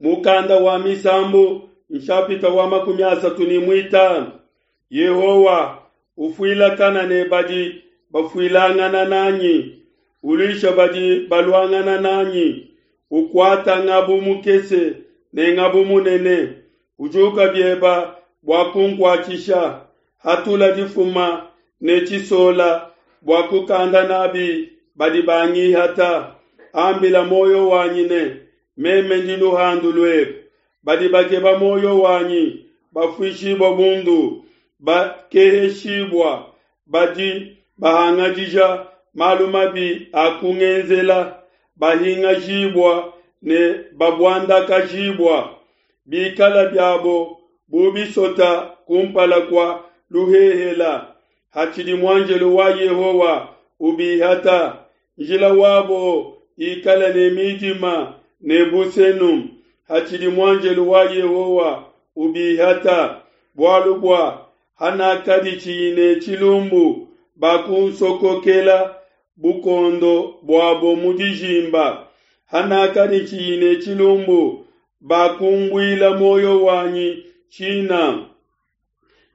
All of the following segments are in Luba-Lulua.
Mukanda wa Misambu nshapita wa 35. Yehowa, ufuilakana ne badi bafuilangana nanyi, uluisha badi baluangana nanyi, ukuata ngabu mukese ne ngabu munene, ujuka bieba bua kunkuatshisha, hatula difuma ne tshisola bua kukanda nabi badi bangihata. Ambila muoyo wanyi ne, Meme ndi luhandu luebe. Badi bakeba muoyo wanyi bafuishibua bundu, bakeheshibua, badi bahangadija malu mabi a kungenzela, bahingajibua ne babuandakajibua. Bikala biabo bu bisota kumpala kua luhehela, hatshidi muanjelo wa Yehowa ubihata. Njila wabo ikale ne midima ne busenu, hatshidi muanjelo wa Yehowa ubihata. Bualu bua hanakadi tshiyi ne tshilumbu, bakunsokokela bukuondo buabo mu dijimba. Hanakadi tshiyi ne tshilumbu, bakumbuila muoyo wanyi tshina.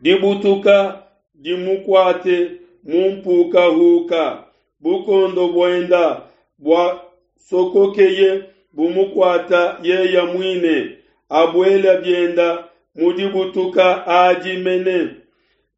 Dibutuka dimukuate mu mpukahuka, bukuondo buenda buasokokeye bumukuata yeya muine, abuela bienda mu dibutuka adi mene.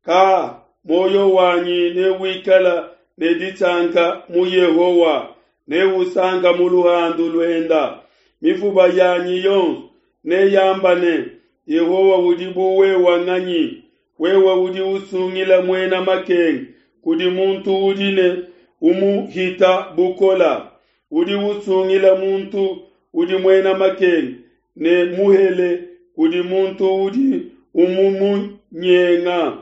Ka muoyo wanyi newikala ne disanka mu Yehowa, neusanka mu luhandu luenda. Mifuba yanyi yonso neyamba ne, Yehowa udi bu wewa nganyi? Wewe udi usungila muena makenga kudi muntu udi ne umuhita bukola. Udi usungila muntu udi muena makenga ne muhele kudi muntu udi umumunyenga.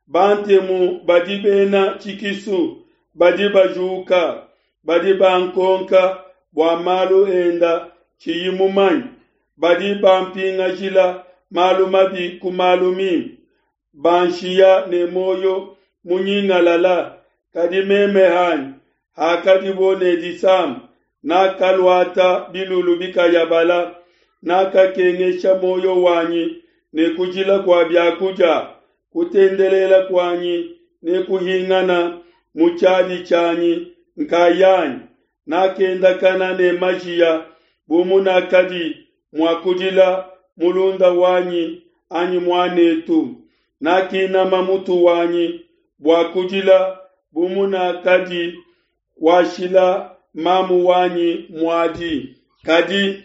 Bantemu badi bena tshikisu badi bajuka, badi bankonka bua malu enda tshiyi mumanye, badi bampingajila malu mabi ku malu mimpe, banshiya ne muoyo munyingalala. Kadi meme hanyi, hakadibo ne disama, nakaluata bilulu bikayabala, nakakengesha muoyo wanyi ne kujila kua biakudia, kutendelela kuanyi ne kuhingana mu tshiadi tshianyi nkayanyi. Nakendakana ne majiya bu munakadi mua kudila mulunda wanyi anyi muanetu. Nakinama mutu wanyi bua kudila bu munakadi kuashila mamu wanyi muadi. Kadi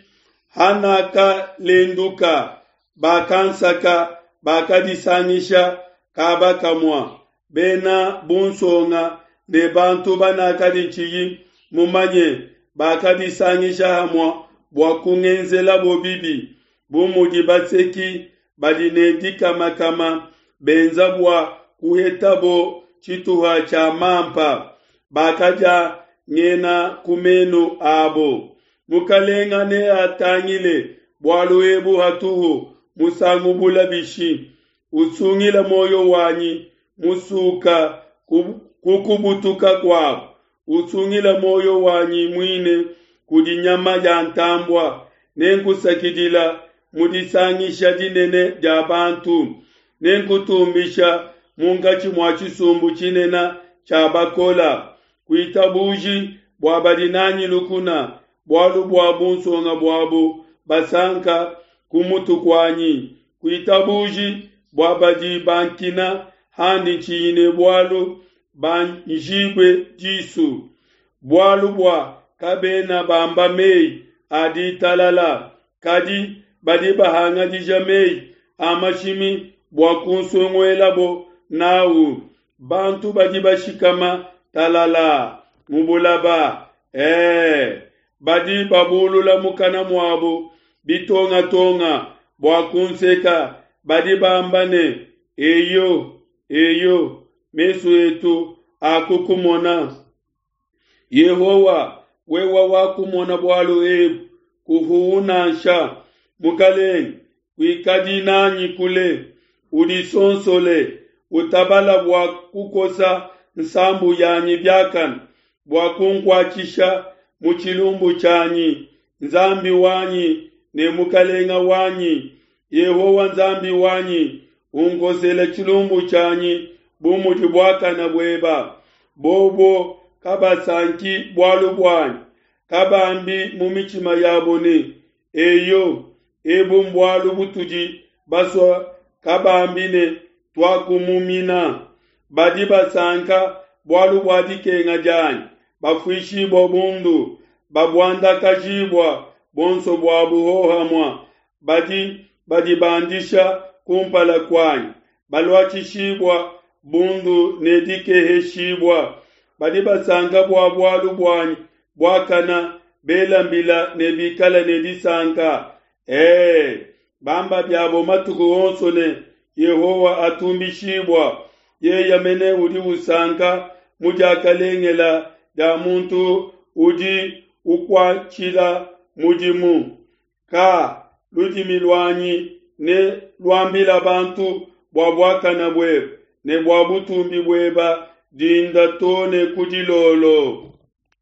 hanakalenduka, bakansaka, bakadisangisha kaba kamua, bena bunsonga ne bantu banakadi tshiyi mumanye bakadisangisha hamua bua kungenzelabo bibi, bu mudi baseki badi ne dikamakama benza bua kuhetabo tshituha tshia mampa, bakadia ngena ku menu abo. Mukalenga neatangile bualu ebu hatuhu musangu bula bishi? Usungila muoyo wanyi musuka ku kubutuka kuabo, usungila muoyo wanyi muine kudi nyama ya ntambua. Nenkusakidila mu disangisha dinene dia bantu, nenkutumbisha munkatshi mua tshisumbu tshinene tshia bakola. Kuitabuji bua badi nanyi lukuna, bualu bua bunsonga buabo basanka ku mutu kuanyi. Kuitabuji bua badi bankina handi tshiyi ne bualu banjibue disu, bualu bua kabena bamba meyi a ditalala, kadi badi bahangadija meyi a mashimi bua kunsonguelabo nawu. Bantu badi bashikama talala mu bulaba, ee, badi babulula mukana muabo bitongatonga bua kunseka, badi bamba ne, Eyo, eyo, mesu etu akukumona. Yehowa, wewe wakumona bualu ebu, kuhuwu nansha. Mukalenge, kuikadi nanyi kule, udisonsole, utabala bua kukosa nsambu yanyi biakane, bua kunkuatshisha mu tshilumbu tshianyi. Nzambi wanyi. ne Mukalenga wanyi. Yehowa Nzambi wanyi, unkosele tshilumbu tshianyi bu mudi buakana bueba. Bobo kabasanki bualu buanyi, kabambi mu mitshima yabo ne, Eyo, ebu mbualu butudi basua, kabambi ne, Tuakumumina. Badi basanka bualu bua dikenga dianyi, bafuishibua bundu, babuandakajibua buonso buabu hohamua. Badi badibandisha kumpala kuanyi, baluatshishibua bundu ne dikeheshibua. Badi basanka bua bualu buanyi buakana, bela mbila ne bikala ne disanka. Ee, bamba biabo matuku onso ne, Yehowa atumbishibua, yeye mene udi usanka mu diakalengela dia muntu udi ukuatshila mudimu. Ka ludimi luanyi ne luambila bantu bua buakana buebe ne bua butumbi bueba dinda to ne ku dilolo.